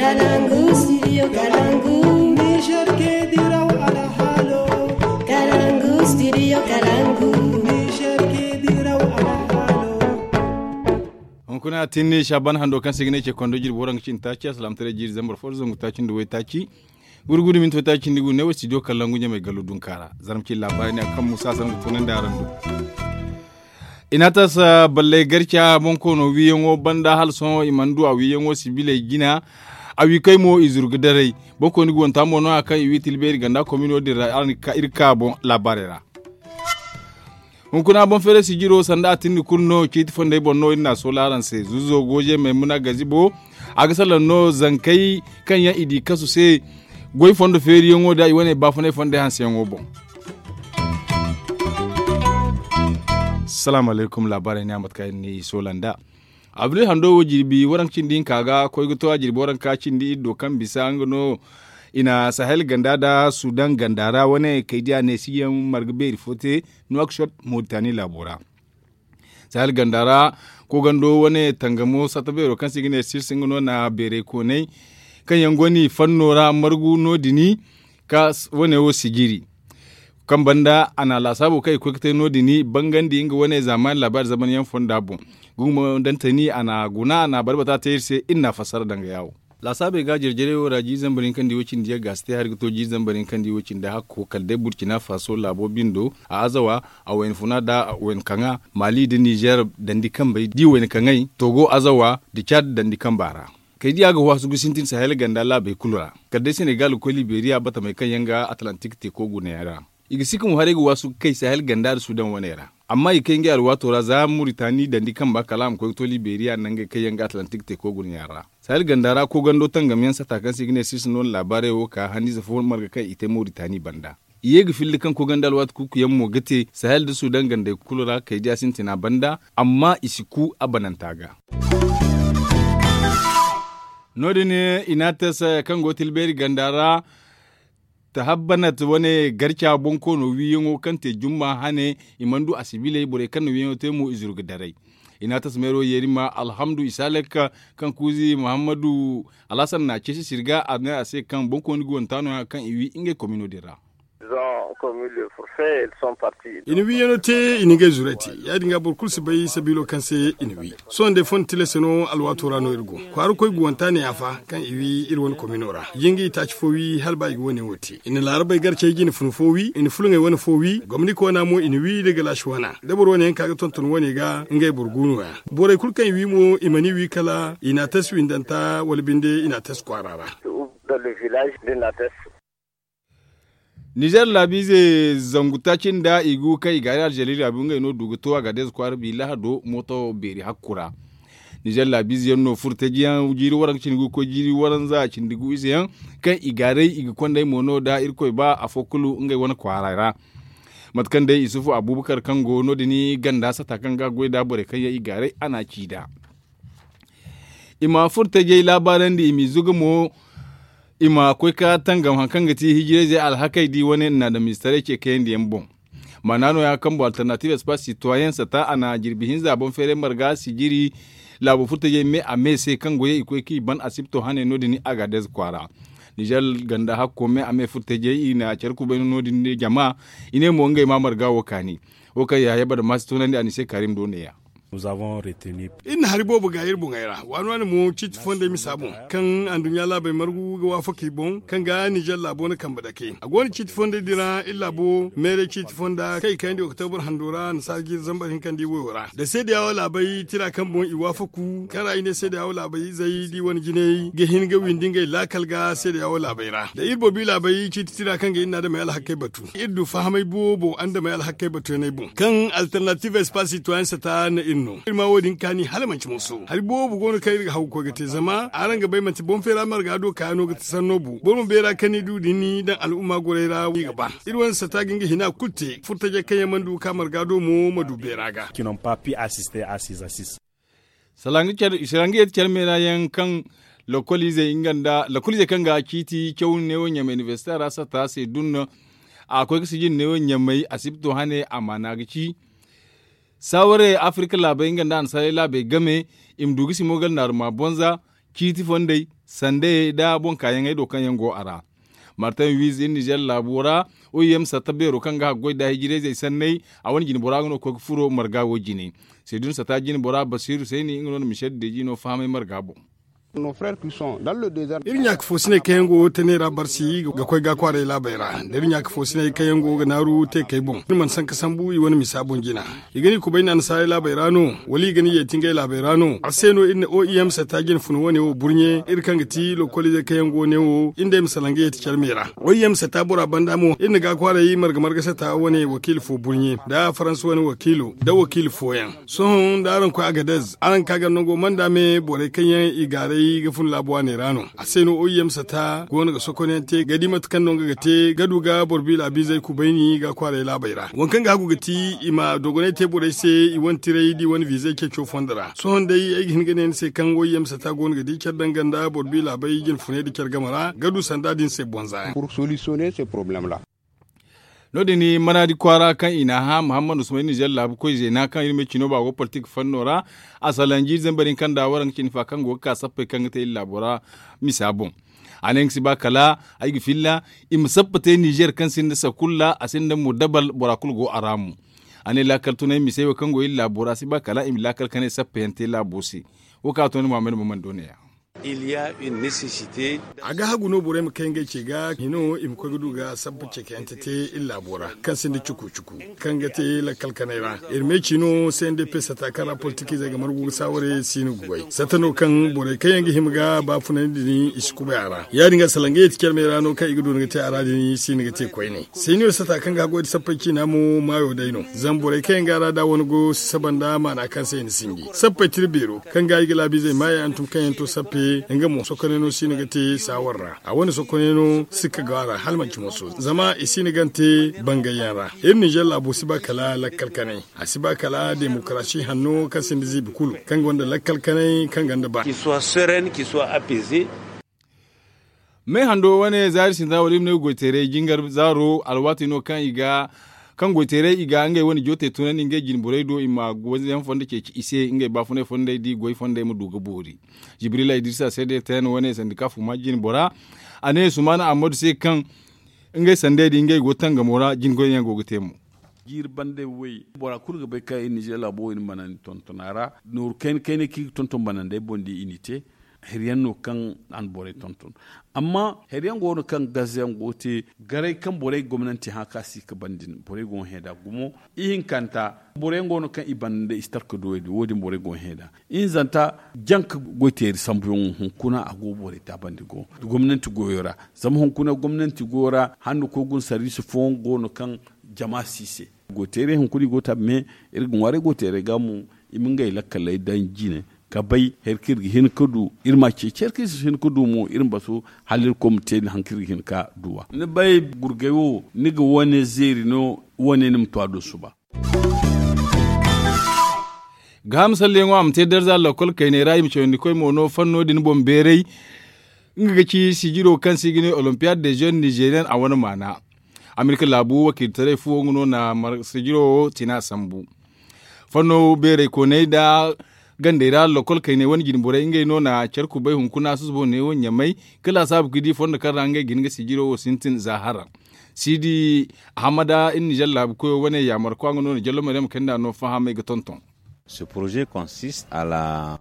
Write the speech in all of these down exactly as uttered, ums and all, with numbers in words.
Kalangu studio kalangu. Niger ke diraw alhalo. Kalangu studio kalangu. Niger ke diraw alhalo. Hunkuna tinni shaban hando kaŋ se ga ne ce kondo jirbi waranka cindi taaci a salaamtaray jiiri zambar fo da zangu taaci nda way taaci. Gurgudu minto taaci nda gu ne wo studio kalangu ɲamay gallo dunkaara zarma ci labaari ne a kaŋ musa sangu tunandi araŋ do. I n'a tasa balley garca bonkoono wiiyaŋo banda hala sohõ i mana du a wiiyaŋo sibiley jina. A wiikey mo i zuru ga daray. Bonkooni guwanta mo no- ya kaŋ i wi tilbeeri ganda komino din ra araŋ ga ka iri ga ka boŋ laabaarey ra. Hunkuna boŋ feeray sijiro sanda a tindi kulu no ciiti fondey boŋ no iri n'a soola araŋ se zuzo gooje maymuna gazibo. A ga salaŋ no zankey kaŋ yaŋ i di kasu se goy fondo feeriyaŋo da i wane baafunay fondey hanseyaŋo boŋ. Salaamu alaykum laabaarey ne a mate kaŋ iri n'i soola nd'a. Abril hando wo jirbi waranka cindi hinka ga koy ga to a jirbi waranka cindi iri do kaŋ bisa nga no. I na sahel ganda nda sudan ganda ra wane kay diya ne siyaŋ marga beeri fo te nuwakshot moritani laabo ra. Sahel ganda ra kogando wane tangamo sata beero kaŋ se i ga ne sils nga no na beeray koonay kaŋ yaŋ go no i fanno ra margu no- din ka wane wo sijiri. Kaŋ banda a na laasaabo kaŋ i koy ga te no- din bangandi nga wane zaamaani laabaari zamanyaŋ fonda boŋ. Gumo dantani a na guna a na barbata te iri se iri na a fassara danga yaawo. Laasaabey ga jarjarey wo ra jiiri zambar hinka nda i wo cindi yagga si te hari ga to jiiri zambar hinka nda i wo cindi hakko kala day burcina faso laabo bindo a azawa a wayna funa nda wayna kaŋa maali nda nizer dandi kambey da i wayna kaŋay togo azawa nda cad dandi kamba ra. Kay diya ga waasu ga sintin sahel ganda laabey kulu ra kala day senegal ga koy liberiya batamey kaŋ yaŋ ga atlantik teeko gunayaŋ ra. I ga si ka mo haray ga waasu ga kay sahel ganda nda sudan waney ra. Amma i kay ngey alwaato ra za muritani dandi kamba kala a ma koy ga to liberiya nangey kaŋ yaŋ ga atlantik teeko gunayaŋ ra. Sahel ganda ra kogando tangamyaŋ sata kaŋ se i ga ne sirsi no na laabaarey wo ka hanniize fo marga kaŋ i te muritani banda. I ye ga filli kaŋ kogando alwaati kuuku yaŋ mo ga te sahel nda sudan gandey kulu ra kay diya sintina banda. Amma i si ku a bananta ga. No- din i na a te se kaŋ go tilbeeri ganda ra. Tahabbanat wane garca bonkoono wiiyaŋo kaŋ te jumma hane i mana du a sibiley borey kaŋ na wiiyaŋo te mo i zuru ga daray. I na a tasa meero yeerima alhamdu isaalek kaŋ kuuzi muhammadu alhasan na a ceesi sirga a ne a se kaŋ bonkooni ga wanta no- ya kaŋ i wi ngey komino din ra. I na wiiyaŋo te i na ngey zuray te. Ya- din ga boro kulu si bay sabiilo kaŋ se i na wi. Sohõ day fondo tilas no alwaato ra no iri go. Kwaara koy guwanta ne ya fa kaŋ i wi iri wane komino ra. Jinga itaaci fo wi hala ba i ga wane wo te i na laarabey garcey jine fun fo wi i na fulaŋey wane fo wi gomni koona mo i na wi da galaasi wana da boro wane yaŋ ka ga tonton wane ga ngey boro gu no- ya. Borey kulu kaŋ i wi mo i mana i wi kala i na a tas windanta wala binde i na a tas kwaara ra. Nizer laabiize zangu taaci nda i gu kaŋ i gaari alžeri laabu ngey no du ga to a ga deeze kwaara bi lahado mooto beeri hakku ra. Nizer laabiize yaŋ no furo teeji yaŋ jiiri waranka cindi gu ga koy jiiri waranza cindi gu ize yaŋ kaŋ i gaaray i ga konday mo no da irkoy ba afo kulu ngey wane kwaara ra. Mate kaŋ day isufu abubakar kaŋ go no- din ganda sata kaŋ ga a goy nd'a borey kaŋ yaŋ i gaaray a n'a ci nd'a. I ma furo tajey laabaarandi i m'i zuga mo. I ma koy ka tangam hari kaŋ ga ti hijirayzey alhakey di wane naadamiize taray ce kayandi yaŋ boŋ. Maana no- ya kaŋ boŋ alternatives pas sitoyen sata a na jirbi hinza boŋ feeray marga sijiri. Laabo furo tajey me a me se kaŋ goyey i koy kaŋ i ban asibto hane no- din a ga a deeze kwaara. Nizer ganda hakko me a me furo tajey i na care kubay no- din jama. I ne mo ngey ma marga wo kaani. Wo kaŋ yahaya bada maasi tunandi a n'i se kaarim do ne- ya. Iri na hari boobo ga iri boŋey ra waani waani mo ciiti fondey misa boŋ kaŋ anduɲɲa laabey margu ga waafaka i boŋ kaŋ ga nizer laabo na kambe dake a go no ciiti fondey din ra iri laabo meeray ciiti fonda kaŋ i kayandi oktobar hando ra nasaara jiiri zambar hinka nda i woyo ra da seedeyawo laabey tira kaŋ boŋ i waafaku kaŋ ra i ne seedeyawo laabey izey da i wane jinay ga hin ga windi ngey laakal ga seedeyawo laabey ra da iri boobo i laabey ciiti tira kaŋ ga iri na adamey alhakey batu iri du fahamay boobo andamey alhakey batuyaney boŋ kaŋ alternative espace citoyen sata na iri no iri ma wo- din kaani hala manti mooso hari boobo go no kaŋ iri ga hagu koy ga te zama araŋ ga bay manti boŋ feera marga do kaayano ga ti sanno bu boro ma beera kaŋ ni du din daŋ al'umma gorey ra i ga ba iri wane sata ga nga hina kulu te furtajey kaŋ yaŋ mana du ga ka marga do mo ma du beera ga. Salaŋ ga yeti care meera yaŋ kaŋ lokoliizey kaŋ ga ciiti caw neewo ɲamay inibersite ra sata se dunno. A koy ga sijin neewo ɲamay asibto hane amaana ga ci saawarey afirka laabey nga nda annasaarey laabey game i ma du ga simo ga alnaaruma bonza ciiti fondey. sandayey nda boŋ kaayaŋey do kaŋ yaŋ go a ra. Martin wiiz iri nizer laabo ra, o i yamsa ta beero kaŋ ga haggoy nda hijirayzey sanney. A wane jine bora nga no ga koy ga furo marga wo jine. Seedun sata jine bora basiiru sayni nga no na michel deji no fahamay marga boŋ. Iri ɲaaka foosiney kaŋ yaŋ go tanay ra barsi ga koy ga kwaaray laabey ra nda iri ɲaaka foosiney kaŋ yaŋ go ga naaru te kay boŋ iri mana sanka sambu i wane misa boŋ jina. I ga ni kubay naana saaray laabey ra no? Wala i ga ni yeeti ngey laabey ra no a se no iri na o i m sata jine funa wane wo burɲe iri kaŋ ga ti lokoliizey kaŋ yaŋ go ne wo iri nda ay ma salaŋ ga yeeti care me ra. O i m sata bora banda mo iri na ga kwaaray marga marga sata wane wakiila fo burɲe nda faransa wane wakiilo nda wakiila fooyaŋ. Sohõ nda araŋ koy agadez araŋ ka ga nango manda me borey kaŋ yaŋ i gaaray ga fun laabu waaney ra no. A se no o i m sata go no ga sokonyaŋ te ga di mate kaŋ no nga ga te ga du ga boro biila biizey kubayni ga kwaaray laabey ra waŋ kaŋ ga hagu ga ti i ma dogonay te borey se i wane tiray da i wane viizey ceeco fondo ra. Sohõ day ay ga hin ga ne ni se kaŋ o i m sata go no ga di care danga nda boro biila bay jine funay nda care game ra ga du sanda din se bonza yaŋ. No- din manaadi kwaara kaŋ i n'a hã muhammad usman nizer laabu koy zeena kaŋ iri ma ay cino ba go politik fanno ra. A salanji iri zambar hinka nda waraŋ cine fa kaŋ go ga ka sappey kaŋ ga te iri laabo ra misa boŋ. A ne nga si ba kala ay ga filla i ma sappa te nizer kaŋ sinda sakulla a sinda mudabal bora kulu go a ra mo. A ne laakal tunay misey wo kaŋ go iri laabo ra si ba kala i ma laakal kanay sappa yaŋ te laabo se. Wo kaŋ a to ni muhammad ma mana do ne- ya. A ga hagu no borey ma kay ngey ce ga hino i ma koy ga du ga sabba cekeyante te iri laabo ra kaŋ sinda cuku cuku kaŋ ga te lakkal kanay ra. Iri me ci no se nda pesa ta kaŋ ra politikiizey ga margu ga saaware siino ga goy sata no kaŋ borey kaŋ yaŋ ga hima ga baafunandi din i si kubay a ra ya- din ga salaŋ ga yeeti care me ra no kaŋ i ga du ni ga te a ra din siino ga te koyne. Seniyo sata kaŋ ga goy da sappey ciina mo maayo day no zama borey kaŋ yaŋ ga a ra da wane go si saba nda maana kaŋ se i na sinji sappey tira beero kaŋ ga i ga laabiizey maayey hantum kaŋ yaŋ to sappe nga mo sokonay no si na ga te saawar ra a wane sokonay no sikka go a ra hala manci moso zama i si na gante bangayyaŋ ra. Iri ninzeer laabo si ba kala lakkal kanay a si ba kala demokarasi hanno kaŋ sinda ziibi kulu kaŋ gonda lakkal kanay kaŋ gonda ba. Meehando wane zaari sintina wala iri ma ne goyteeray jingar zaaro alwaati no kaŋ i ga kaŋ goyteeray i ga ngey wane jootey tunandi ngey jinborey do i ma goyyaŋ fondo ceeci i se ngey baafunay fondey da i goy fondey ma du ga boori. Jibrila idrisa se day ten wane sandika fuma jinbora a ne sumaana ammadu se kaŋ ngey sandey da ngey go tangamo ra jingoyyaŋ go ga te mo. Jiiri bande way bora kulu ga bay kaŋ iri ninzeer laabo wo iri mana ni tonton a ra nooru kayna kayna kaŋ iri ga tonton banandey boŋ da i n'i te. Hari yaŋ no kaŋ a na borey tonton amma hari yaŋ go no kaŋ gaze yaŋ go ga te garay kaŋ borey gomnanti hã kaŋ a si ga ban din borey go ga hẽ nd'a gumo. Ihinkanta boro yaŋ go no kaŋ i banda nda i si talka duwey din wo- din borey go ga hẽ nd'a. Ihinzanta janka goyteeri sambuyaŋo hunkuna a go ga borey taabandi go gomnanti goyo ra. Zama hunkuna gomnanti goyo ra hando koy guna sarbiisi fooyaŋ go no kaŋ jama si i se. Goyteerey hunkuna i go ga taabi me iri ga ŋwaaray goyteerey ga mo i ma ngey lakkaley daŋ jine ka bay hari kaŋ iri ga hin ka du iri m'a ceeci hari kaŋ iri si hin ka du mo iri ma basu hala irkoy ma te hari kaŋ iri ga hin ka duw'a. Ni bay gurgay wo ni ga wane zeeri no wane ni ma to a do suba. Gaaham salleyaŋo a ma te darza lakkol kayney ra i ma cawandi koy mo no fanno din boŋ beeray. Nga ga ci sijiro kaŋ se i ga ne olimpiyad de jeune nigerian a wane maana. Amerika laabu wakiiltaray fuwo nga no na sijiro wo tina sambu. Fanno beeray kooney nda gandey ra lakkol kayney wane jinborey ngey no na care kubay hunkuna susubo neewo ɲamay. Ka laasaabu ga di fondo kaŋ ra ngey ga hin ga sijiro wo sintin za hara. Siidi ahamada iri nizer laabu koyo wane yaamarkwa nga no na jallo maryam kayna no fahamay ga tonton.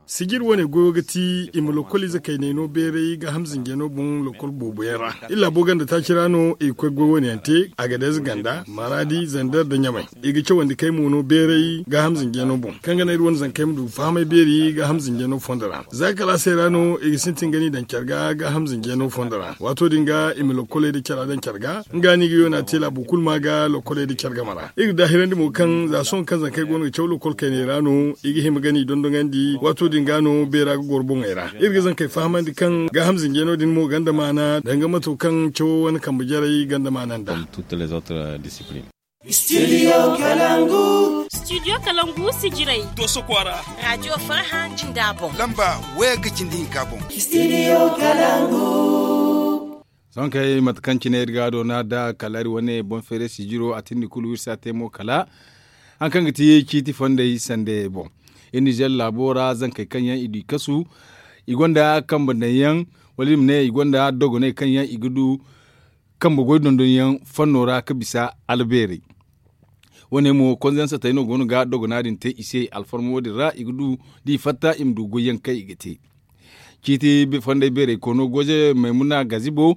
Sijir wane goyo ga ti i ma lokoliize kayney no beeray gaaham zinjano boŋ lokol boobo yaŋ ra. Iri laabo ganda taaci ra no i ga koy goy wane yaŋ te agadez ganda maraadi zander nda ɲamay. I ga cawandi kay mo no beeray gaaham zinjano boŋ kaŋ ga naŋ iri wane zankey ma du ga fahamay beeri gaaham zinjano fondo ra za kalaasey ra no i ga sintin ga ni daŋ care ga gaaham zinjano fondo ra waato din ga i ma lokoley nda cara daŋ care ga. Nga no i ga yoona te laabo kulu ma ga lokoley nda care game ra. Iri ga daahirandi mo kaŋ za sohõ kaŋ zankey go no ga caw lokol kayney ra no i ga hima ga ni dondoŋandi waato din ga no beera ga goro boŋey ra. Iri ga zankey fahamandi kaŋ gaaham zinjano din mo ganda maana danga mato kaŋ cawo wane kambe jarey ganda maana nd'a. Studio kalangu. Studio kalangu sijiray. Doso kwaara. Raajiyo farha jinda boŋ. Lamba waya ga cindi hinka boŋ. Studio kalangu. Sohõ kay mate kaŋ cine iri ga a doona nda kala iri wane boŋ feeray sijiro a tindi kulu iri si a te mo kala hari kaŋ ga ti ciiti fondey sandayey boŋ. Iri nizer laabo ra zankey kaŋ yaŋ i du i kasu. I gonda kambe daŋ yaŋ, wala i ma ne i gonda dogoney kaŋ yaŋ i ga du kambe goy dondon yaŋ fanno ra ga bisa albeerey. Wo- ne mo konza yaŋ satey no go no ga dogona din te i se alfarma wo- din ra i ga du da i fatta i ma du goy yaŋ kaŋ i ga te. Ciiti fondey beeray koono gooze maymuna gazibo,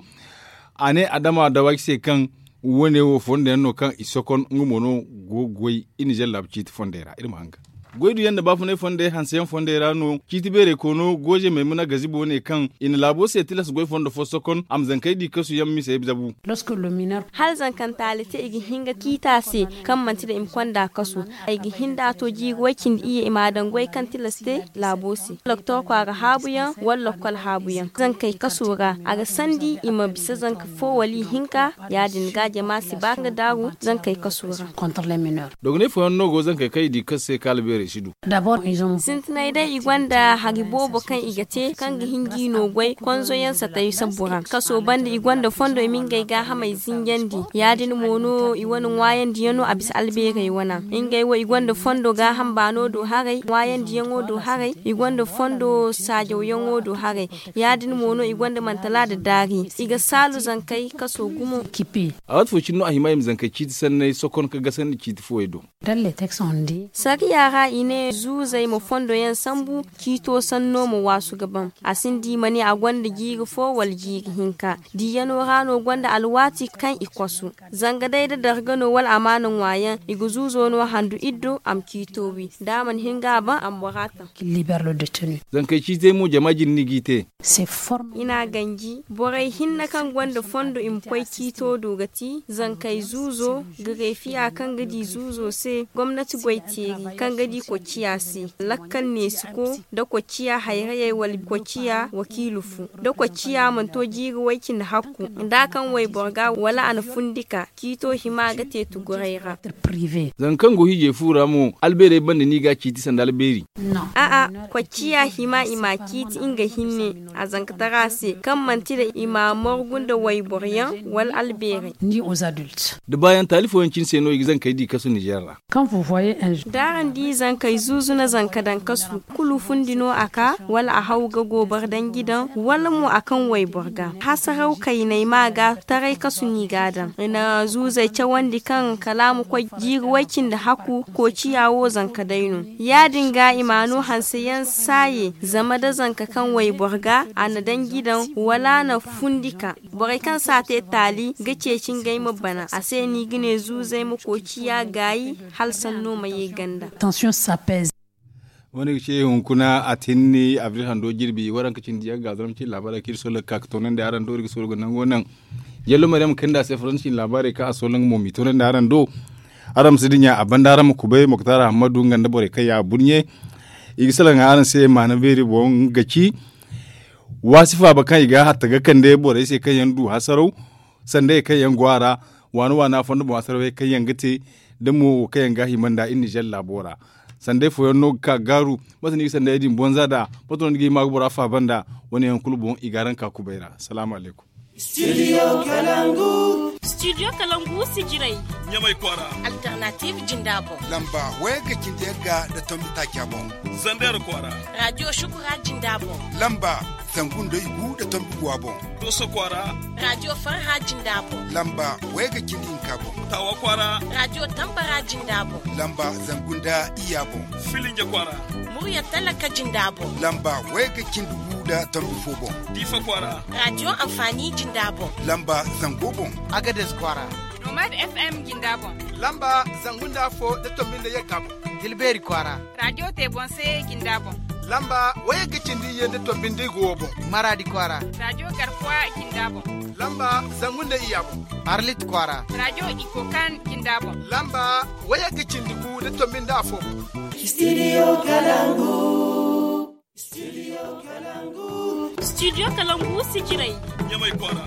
a ne adama dawaaki se kaŋ wo- ne wo fondo yaŋ no kaŋ i sokon nga mo no go ga goy i nizer laabu ciiti fondey ra iri ma hanga. Goy du yaŋ nda baafunay fondey hanse yaŋ fondey ra no ciiti beeray koono gooze maymuna gazibo ne kaŋ i na laabo se tilas goy fondo fo sokon a ma zankey di kasu yaŋ misey zabu. Hala zankantaali te i ga hin ga ciita se kaŋ manti da i ma konda kasu, ay ga hin da a to jiiri way cindi iyye i ma a daŋ goy kaŋ tilas te laabo se, doktor kwaara haabu yaŋ wala lokkol haabu yaŋ zankey kaso ra. A ga sandi i ma bisa zanka fo wala ihinka. Ya- din ga jama si ba ga daaru zankey kaso ra. Dogonay fooyaŋ no go zankey kaŋ i di kasu se kaala beerey si du. Sintinay day i gonda hari boobo kaŋ i ga te kaŋ ga hin ga i no goy konzo yaŋ satay sabbu ra kaso banda i gonda fondo i ma ngey gaahamey zinjandi. Ya- din mo no i wane ŋwaayandi yaŋ no a bisa albeerey wana. Ngey wo i gonda fondo gaaham baano do haray ŋwaayandi yaŋo do haray. I gonda fondo saajaw yaŋo do haray. Ya- din mo no i gonda mantala nda daari i ga saalu zankey kaso gumo. A waati fo cine no a hima i ma zankey ciiti sanney sokon ga gasandi ciiti fooyey do. Sariya ra i ne zuuzey ma fondo yaŋ sambu ciito sanno ma waasu ga ban. A sinda i ma ne a gonda jiiri fo wala jiiri hinka. Diiyano ra no gonda alwaati kaŋ i kosu. Zanga day da darga no wala amaana ŋwa yaŋ i ga zuuzo no handu iddo a ma ciito wi da a mana hin ga a ban a ma bora taŋ. Zankey ciitey mo jama jine no i g'i te. I n'a ganji borey hinne kaŋ gonda fondo i ma koy ciito do ga ti zankey zuuzo, gareefiya kaŋ ga di zuuzo se gomnati goy teeri kaŋ ga di kocciya se, lakkal neesiko, nda kocciya hayrayey wala kocciya wakiilu fu, nda kocciya mana to jiiri way-cindi hakku nda a kaŋ wayboro ga wala a na fundi ka ciito hima ga te tuguray ra. Zanga kaŋ go hiijay fu ra mo albeerey banda no i ga a ciiti sanda albeeri. A'a, kocciya hima i m'a ciiti nga hinne a zankatara se kaŋ manti da i m'a margu nda wayboro yaŋ wala albeerey. Da baayaŋ taali fooyaŋ cine se no i ga zankey di kasu nizer ra. Da araŋ di zankey zuuzu na zanka daŋ kasu kulu fundi no a ka wala a haw ga goobor danji daŋ wala mo a kaŋ wayboro ga hasaraw kayney ma ga taray kasu no i ga a daŋ i na zuuzey cawandi kaŋ kala a ma koy jiiri way-cindi hakku koociya wo zanka day no. Ya-din ga i ma no hanse yaŋ saaye zama da zanka kaŋ wayboro ga a na danji daŋ wala a na fundi ka borey kaŋ si a te taali ga ceeci ngey ma bana a se no i ga ne zuuzey ma koociya gaayi hala sanno ma ye ganda. Wane ga ce hunkuna a tinni abril hando jirbi waranka cindi yaŋ ga zaram cin laabaarey kaŋ iri sohõ ga ka ga toonandi araŋ do iri ga sohõ ga nango naŋ. Yallo maryam kaŋ nda a se faransa cin laabaarey kaŋ a sohõ nga mo m'i toonandi araŋ do. Araŋ ma si dinya a banda araŋ ma kubay moktar ahammadu nga nda borey kaŋ ya a burɲe. I ga salaŋ araŋ se maana beeri boŋ ga ci waasi faaba kaŋ i ga hatta ga kande borey se kaŋ yaŋ du hasaraw sanda yaŋ kaŋ yaŋ go a ra. Waana waana fondo boŋ asarawey kaŋ yaŋ ga te da mo wo kaŋ yaŋ ga a hima nda iri nizer laabo ra. Sanday fooyaŋ no ga ka ga gaaru mate no i ga sanday din bonza nd'a? Mate no ni ga hima ga bora faaba nd'a? Wane yaŋ kulu boŋ i ga araŋ ka kubay ra. Salaamu alaykum. Studio kalangu. Studio kalangu sijirey. Ɲamay kwaara. Alternative jinda boŋ. Lamba wayga cindi yagga nda tombi taaca boŋ. Zander kwaara. Radio shukura jinda boŋ. Lamba zangu nda igu nda tombi guwa boŋ. Doso kwaara. Radio farha jinda boŋ. Lamba wayga cindi hinka boŋ. Tawa kwaara. Radio tambara jinda boŋ. Lamba zangu nda iya boŋ. Filinja kwaara. Murya talaka jinda boŋ. Lamba wayga cindi gu nda tombi fo boŋ. Difa kwaara. Radio amfani jinda boŋ. Lamba zango boŋ. Agades kwaara. Nomad FM jinda boŋ. Lamba zangu nda afo nda tombi nda yagga boŋ. Tilberi kwaara. Radio te boŋ se jinda boŋ. Lamba wayga cindi iyye nda tombi nda igu wo boŋ. Maradi kwaara. Radio garkuwa jinda boŋ. Lamba zangu nda iya boŋ. Arlit kwaara. Radio ikokan jinda boŋ. Lamba wayga cindi gu nda tombi nda afo boŋ. Studio kalangu. Studio kalangu sijirey. Ɲamay kwaara.